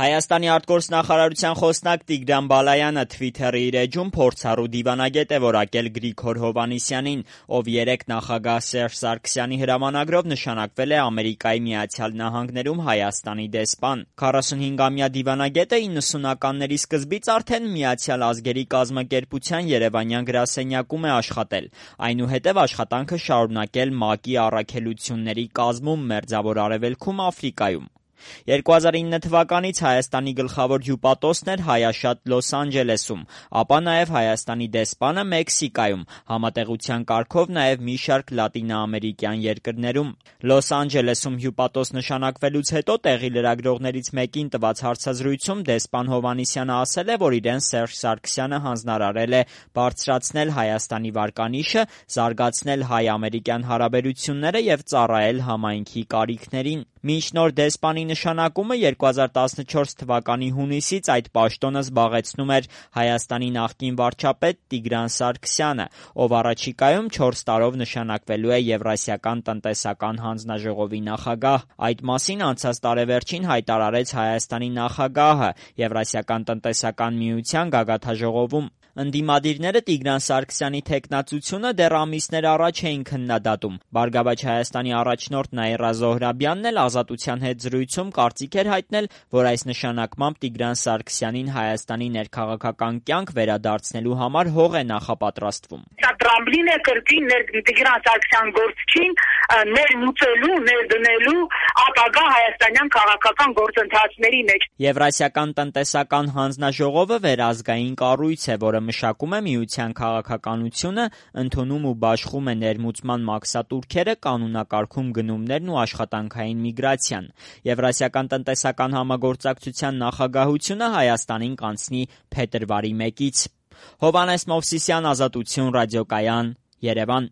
Հայաստանի արտգործնախարարության խոսնակ Տիգրան Բալայանը Թվիթերի իր էջում փորձառու դիվանագետ է որակել Գրիգոր Հովհաննիսյանին, ով երեկ նախագահ Սերժ Սարգսյանի հրամանագրով նշանակվել է Ամերիկայի Միացյալ Նահանգներում Հայաստանի դեսպան։ 45-ամյա դիվանագետը 90-ականների սկզբից արդեն Միացյալ Ազգերի կազմակերպության երևանյան գրասենյակում է աշխատել, այնուհետև աշխատանքը շարունակել ՄԱԿ-ի առաքելությունների կազմում Մերձավոր Արևելքում, Աֆրիկայում։ 2009 թվականից Հայաստանի գլխավոր հյուպատոսն էր հայաշատ Լոս Անջելեսում, ապա նաև Հայաստանի դեսպանը Մեքսիկայում, համատեղության կարգով նաև մի շարք լատինաամերիկյան երկրներում։ Լոս Անջելեսում հյուպատոս նշանակվելուց հետո տեղի լրագրողներից մեկին տված հարցազրույցում դեսպան Հովհաննիսյանը ասել է, որ իրեն Սերժ Սարգսյանը հանձնարարել է բարձրացնել Հայաստանի վարկանիշը, զարգացնել հայ-ամերիկյան հարաբերությունները և ծառայել համայնքի կարիքներին։ Մինչ նոր դեսպանի նշանակումը 2014 թվականի հունիսից այդ պաշտոնը զբաղեցնում էր Հայաստանի նախկին վարչապետ Տիգրան Սարգսյանը, ով առաջիկայում 4 տարով նշանակվելու է Եվրասիական տնտեսական հանձնաժողովի նախագահ։ Այդ մասին անցած տարեվերջին հայտարարեց Հայաստանի նախագահը Եվրասիական տնտեսական միության գագաթնաժողովում։ Ընդդիմադիրները Տիգրան Սարգսյանի թեկնածությունը դեռ ամիսներ առաջ էին քննադատում։ «Բարգավաճ Հայաստանի» առաջնորդ Նաիրա Զոհրաբյանն էլ Ազատության հետ զրույցում կարծիք էր հայտնել, որ այս նշանակմամբ Տիգրան Սարգսյանին Հայաստանի ներքաղաքական կյանք վերադարձնելու համար հող է նախապատրաստվում։ Սա տրամբլին է կրկին Տիգրան Սարգսյան գործչին ներմուծելու, ներդնելու ապագա հայաստանյան քաղաքական գործընթացների մեջ։ Եվրասիական տնտեսական հանձնաժողովը վերազգային կառույց է, որը մշակում է միության քաղաքականությունը, ընդունում ու բաշխում է ներմուծման մաքսատուրքերը, կանոնակարգում գնումներն ու աշխատանքային միգրացիան։ Եվրասիական տնտեսական համագործակցության նախագահությունը Հայաստանին կանցնի փետրվարի 1-ից։ Հովհաննես Մովսիսյան, Ազատություն, ռադիոկայան, Երևան։